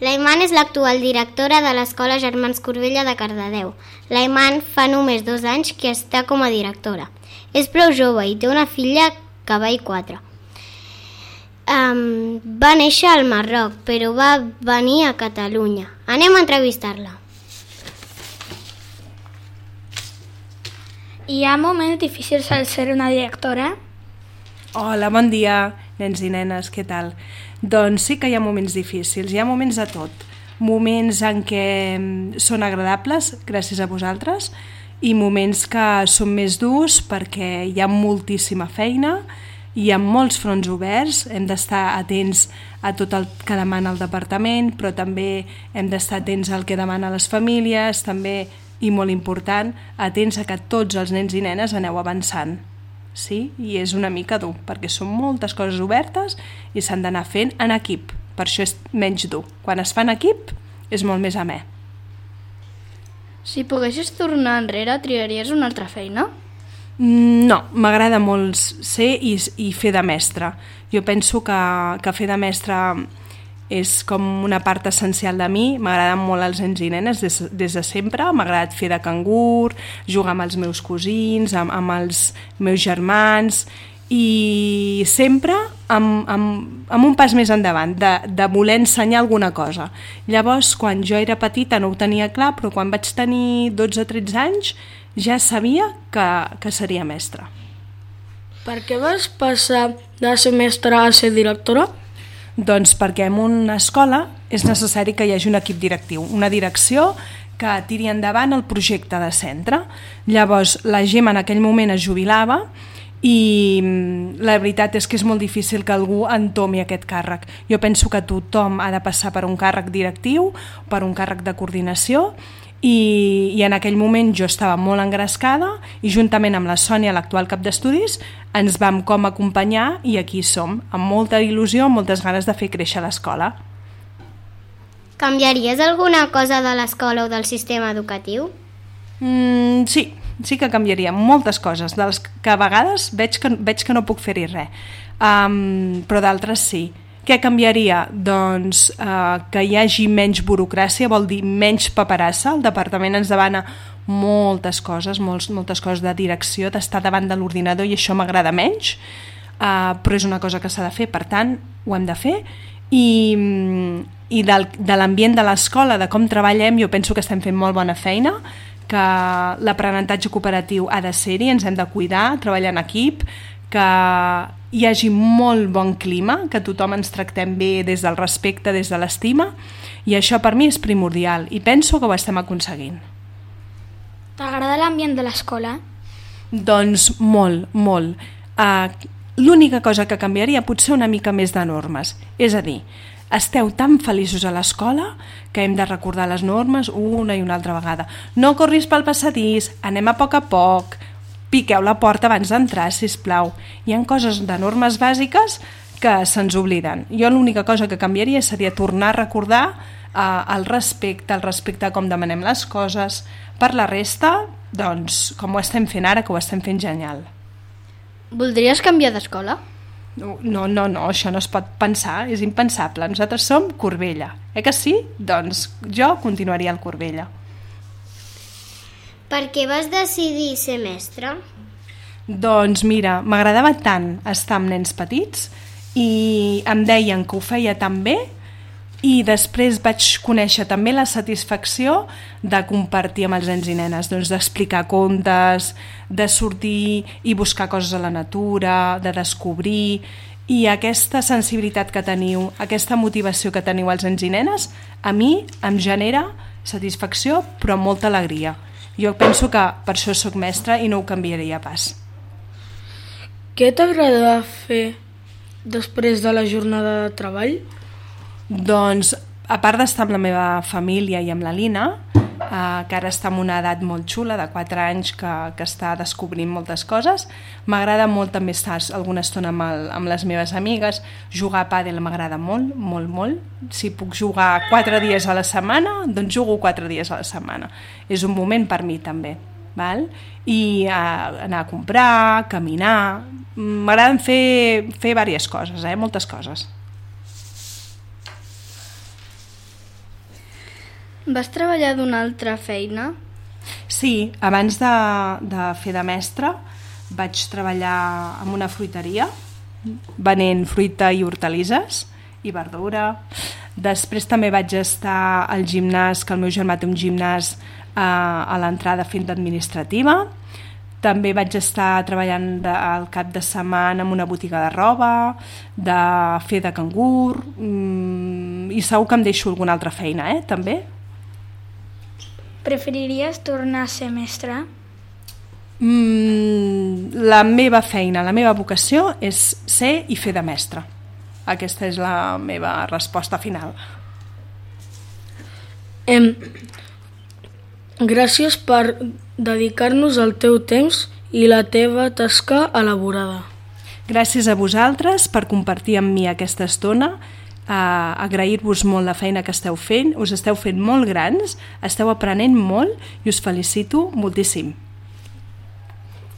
L'Aiman és l'actual directora de l'Escola Germans Corbella de Cardedeu. L'Aiman fa només 2 anys que està com a directora. És prou jove i té una filla que va i 4. Va néixer al Marroc, però va venir a Catalunya. Anem a entrevistar-la. Hi ha moments difícils al ser una directora? Hola, bon dia, nens i nenes, què tal? Doncs sí que hi ha moments difícils, hi ha moments de tot. Moments en què són agradables, gràcies a vosaltres, i moments que són més durs perquè hi ha moltíssima feina, hi ha molts fronts oberts, hem d'estar atents a tot el que demana el departament, però també hem d'estar atents al que demana les famílies, també, i molt important, atents a que tots els nens i nenes aneu avançant. Sí? I és una mica dur, perquè són moltes coses obertes i s'han d'anar fent en equip, per això és menys dur. Quan es fa en equip és molt més amè. Si poguessis tornar enrere, triaries una altra feina? No, m'agrada molt ser i fer de mestre. Jo penso que fer de mestre és com una part essencial de mi. M'agraden molt els nens i nenes des de sempre. M'ha agradat fer de cangur, jugar amb els meus cosins, amb els meus germans, i sempre amb un pas més endavant, de voler ensenyar alguna cosa. Llavors, quan jo era petita no ho tenia clar, però quan vaig tenir 12 o 13 anys ja sabia que seria mestra. Per què vas passar de ser mestra a ser directora? Doncs perquè en una escola és necessari que hi hagi un equip directiu, una direcció que tiri endavant el projecte de centre. Llavors la Gemma en aquell moment es jubilava i la veritat és que és molt difícil que algú entomi aquest càrrec. Jo penso que tothom ha de passar per un càrrec directiu, per un càrrec de coordinació, i en aquell moment jo estava molt engrescada i juntament amb la Sònia, l'actual cap d'estudis, ens vam com acompanyar i aquí som, amb molta il·lusió, amb moltes ganes de fer créixer l'escola. Canviaries alguna cosa de l'escola o del sistema educatiu? Sí que canviaria moltes coses, de les que a vegades veig que no puc fer-hi res, però d'altres sí. Què canviaria? Doncs que hi hagi menys burocràcia, vol dir menys paperassa. El departament ens demana moltes coses, moltes coses de direcció, d'estar davant de l'ordinador, i això m'agrada menys, però és una cosa que s'ha de fer, per tant ho hem de fer. I de l'ambient de l'escola, de com treballem, jo penso que estem fent molt bona feina, que l'aprenentatge cooperatiu ha de ser-hi, ens hem de cuidar, treballar en equip, que hi hagi molt bon clima, que tothom ens tractem bé des del respecte, des de l'estima, i això per mi és primordial i penso que ho estem aconseguint. T'agrada l'ambient de l'escola? Doncs molt. L'única cosa que canviaria potser una mica més de normes, és a dir, esteu tan feliços a l'escola que hem de recordar les normes una i una altra vegada. No corris pel passadís, anem a poc, piqueu la porta abans d'entrar, sisplau. Hi ha coses de normes bàsiques que se'ns obliden. Jo l'única cosa que canviaria seria tornar a recordar el respecte a com demanem les coses. Per la resta, doncs, com ho estem fent ara, que ho estem fent genial. Voldries canviar d'escola? No, això no es pot pensar, és impensable. Nosaltres som Corbella, que sí? Doncs jo continuaria al Corbella. Per què vas decidir ser mestra? Doncs mira, m'agradava tant estar amb nens petits i em deien que ho feia tan bé, i després vaig conèixer també la satisfacció de compartir amb els nens i nenes, doncs d'explicar contes, de sortir i buscar coses a la natura, de descobrir, i aquesta sensibilitat que teniu, aquesta motivació que teniu els nens i nenes, a mi em genera satisfacció però molta alegria. Jo penso que per això soc mestra i no ho canviaria pas. Què t'agrada fer després de la jornada de treball? Doncs, a part d'estar amb la meva família i amb la Lina, que ara està en una edat molt xula, de 4 anys, que està descobrint moltes coses, m'agrada molt també estar alguna estona amb les meves amigues. Jugar a pàdel m'agrada molt. Si puc jugar 4 dies a la setmana, doncs jugo 4 dies a la setmana. És un moment per mi també. Val? I anar a comprar, caminar. M'agraden fer diverses coses, moltes coses. Vas treballar d'una altra feina? Sí, abans de fer de mestra vaig treballar en una fruiteria venent fruita i hortalisses i verdura. Després també vaig estar al gimnàs, que el meu germà té un gimnàs a l'entrada fent d'administrativa. També vaig estar treballant al cap de setmana en una botiga de roba, de fer de cangur, i segur que em deixo alguna altra feina, també. Preferiries tornar a ser mestre? La meva feina, la meva vocació és ser i fer de mestre. Aquesta és la meva resposta final. Gràcies per dedicar-nos el teu temps i la teva tasca elaborada. Gràcies a vosaltres per compartir amb mi aquesta estona, agrair-vos molt la feina que esteu fent, us esteu fent molt grans, esteu aprenent molt i us felicito moltíssim.